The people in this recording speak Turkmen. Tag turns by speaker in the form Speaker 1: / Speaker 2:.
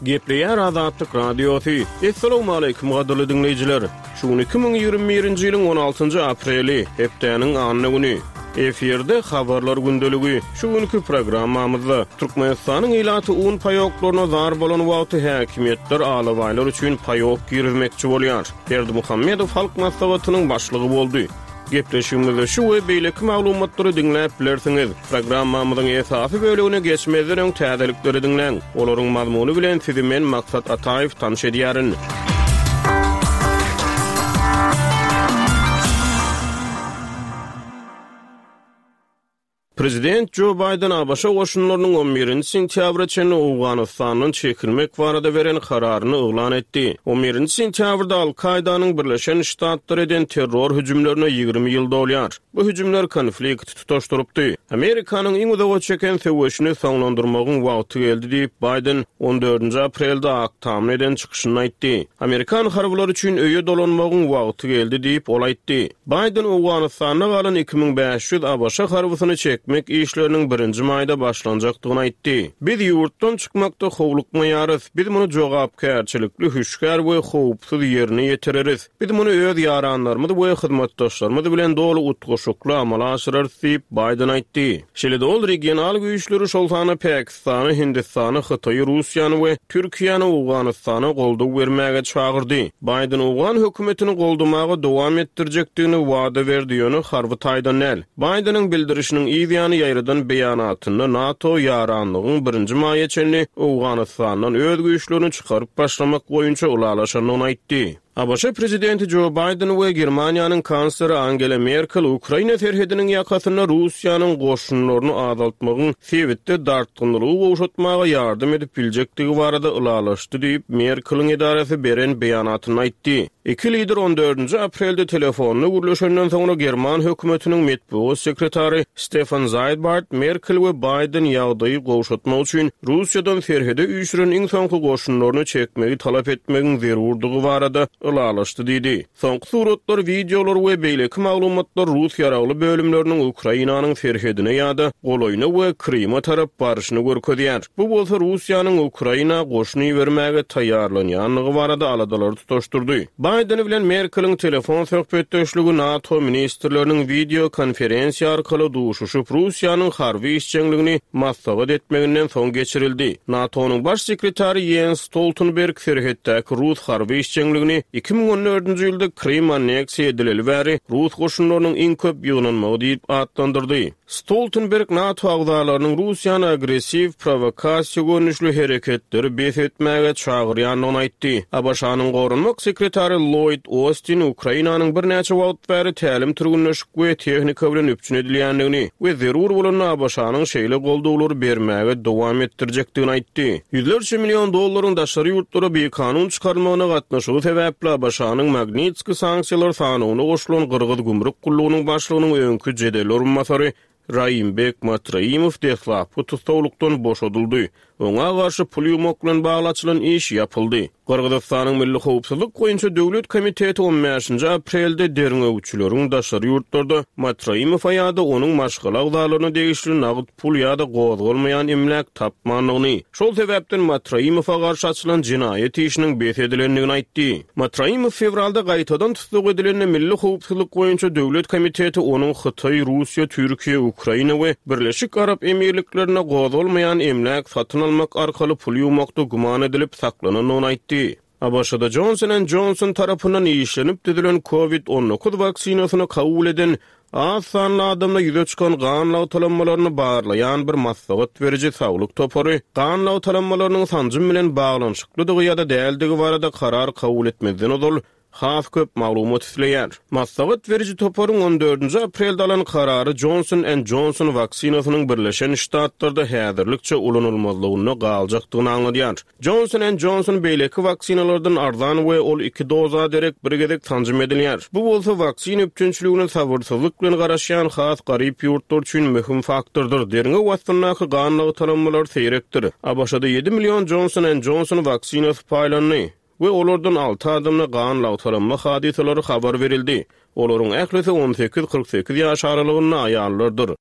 Speaker 1: Gepleýär Azatlyk Radiosy. Essalawmaleýkim gadyrly diňleýjiler! Şu gün 2021-nji ýylyň 16-njy apreli, hepdäniň anna güni. Efirde Habarlar gündeligi. Şu günki programmamyzda Türkmenistanyň ilaty un paýoklaryna zar bolan wagty häkimiýetler alabaýlar üçin paýok girizmekçi bolýar. Berdimuhamedow Halk Maslahatynyň başlygy boldy. Gepleşigimizde şu we beýleki maglumatlary diňläp bilersiňiz. Programmamyzyň esasy bölegine geçmezden öň täzelikleri diňläň. Olaryň mazmuny bilen sizi men Maksat Ataýew tanyş edýärin. Prezident Jo Baýden ABŞ goşunlarynyň on birinji sentýabra çenli Owganystandan çekilmek barada beren kararyny yglan etdi. On birinji sentýabrda Al-Kaýdanyň Birleşen Ştatlara eden terror hüjümlerine 20 ýyl dolýar. Bu hüjümler konflikti tutaşdyrypdy. Amerikanyň iň uzaga çeken söweşini soňlandyrmagyň wagty geldi diýip, Baýden on dördünji aprelde Ak Tamda eden çykyşynda aýtdy. Amerikan harbylary üçin öýe dolanmagyň wagty geldi diýip, ol aýtdy. Baýden Owganystanda galan 2500 ABŞ harbysyny çekmek işleriniň birinji maýda başlanjakdygyny aýtdy. Biz ýurtdan çykmakda howlukmaýarys. Biz muny jogapkärçilikli, hüşgär we howpsuz ýerine ýetireris. Biz muny öz ýaranlarymyz we hyzmatdaşlarymyz bilen doly utgaşykly amala aşyrarys diýip, Baýden aýtdy. Şeýle-de ol regional güýçleri, şol sanda Pakistany, Hindistany, Hytaýy, Russiýany we Türkiýäni Owganystana goldaw bermäge çagyrdy. Baýden owgan hökümetini goldamaga dowam etdirjekdigini wada berdi, ýöne harby taýdan däl. Baýdeniň bildirişiniň yz ýany ýaýradan beýanatynda NATO ýaranlygyň birinji maýa çenli Owganystandan öz güýçlerini çykaryp başlamak boýunça ylalaşandygyny aýtdy. ABŞ prezidenti Jo Baýden we Germaniýanyň kansleri Angela Merkel Ukraina serhediniň ýakasynda Russiýanyň goşunlaryny azaltmagyň sebitde dartgynlylygy gowşatmaga ýardam edip biljekdigi barada ylalaşdy diýip, Merkeliň edarasy beren beýanatynda aýtdy. Iki lider on dördünji aprelde telefonda gürleşenden soňra german hökümetiniň metbugat sekretary Stefan Zaýbart Merkel we Baýden ýagdaýy gowşatmak üçin Russiýadan serhede üýşüren iň soňky goşunlaryny çekmegi talap etmegiň zerurdygy barada ylalaşdy diýdi. Soňky suratlar, wideolar we beýleki maglumatlar rus ýaragly bölümleriniň Ukrainanyň serhedine ýa-da golaýyna we Kryma tarap baryşyny görkezýär. Bu bolsa Russiýanyň Ukraina goşun ibermäge taýýarlanýandygy barada aladalary tutaşdyrdy. Baýden bilen Merkeliň telefon söhbetdeşligi NATO ministrleriniň wideo konferensiýa arkaly duşuşyp, Russiýanyň harby işjeňligini maslahat etmeginden soň geçirildi. NATO-nyň baş sekretary Ýens Stoltenberg serhetdäki rus harby işjeňligini 2014-nji ýylda Krym anneksiýa edileli bäri rus goşunlarynyň iň köp ýygnanmagy diýip atlandyrdy. Stoltenberg NATO agzalarynyň Russiýany agressiw prowokasiýa görnüşli hereketleri bes etmäge çagyrýandygyny aýtdy. ABŞ-nyň goranmak sekretary Lloýd Ostin Ukrainanyň birnäçe wagt bäri tälim-türgenleşik we tehnika bilen üpjün edilýändigini we zerur bolanda ABŞ-nyň şeýle goldawlary bermäge dowam etdirjekdigini aýtdy. Ýüzlerçe million dollaryň daşary ýurtlara bikanun çykarylmagyna gatnaşygy sebäpli ABŞ-nyň Magnitskiý sanksiýalar sanawyna goşulan Gyrgyz gümrük gullugynyň başlygynyň öňki jedel orunbasary Raimbek Matraimow deslapky tussaglykdan boşadyldy. Oňa garşy pul ýuwmak bilen bagly açylan iş ýapyldy. Gyrgyzystanyň Milli howpsuzlyk boýunça döwlet komiteti on bäşinji aprelde derňewçileriň daşary ýurtlarda Matraimowa ýa-da onuň maşgala agzalaryna degişli nagt pul ýa-da gozgalmaýan emläk tapmandygyny, şol sebäpden Matraimowa garşy açylan jenaýat işiniň bes edilendigini aýtdy. Matraimow fewralda gaýtadan tussag edilende Milli howpsuzlyk boýunça döwlet komiteti onuň Hytaý, Russiýa, Türkiýe, Ukraina we Birleşik Arap Emirliklerinde gozgalmaýan emläk satyn almak arkaly pul ýuwmakda güman edilip saklanandygyny aýtdy. ABŞ-da Johnson and Johnson tarapyndan işlenip düzülen Covid 19 waksinasyny kabul eden az sanly adamda ýüze çykan gan lagtalanmalaryny barlaýan bir maslahat beriji saglyk topary gan lagtalanmalarynyň sanjym bilen baglanyşyklydygy ýa-da däldigi barada karar kabul etmezden ozal has köp maglumat isleýär. Maslahat beriji toparyň on dördünji aprelde alan karary Johnson and Johnson waksinasynyň Birleşen Ştatlarda häzirlikçe ulanylmazlygynda galjakdygyny aňladýar. Johnson and Johnson beýleki waksinalardan arzan we ol iki doza derek bir gezek sanjym edilýär. Bu bolsa waksina üpjünçiligine sabyrsyzlyk bilen garaşýan has garyp ýurtlar üçin möhüm faktordyr. Derňew astyndaky gan lagtalanmalar seýrekdir. ABŞ-da ýedi million Johnson and Johnson waksinasy paýlandy we olardan alty adamda gan lagtalanma hadysalary habar berildi. Olaryň ählisi on sekiz, 48 ýaş aralygynda aýallardyr.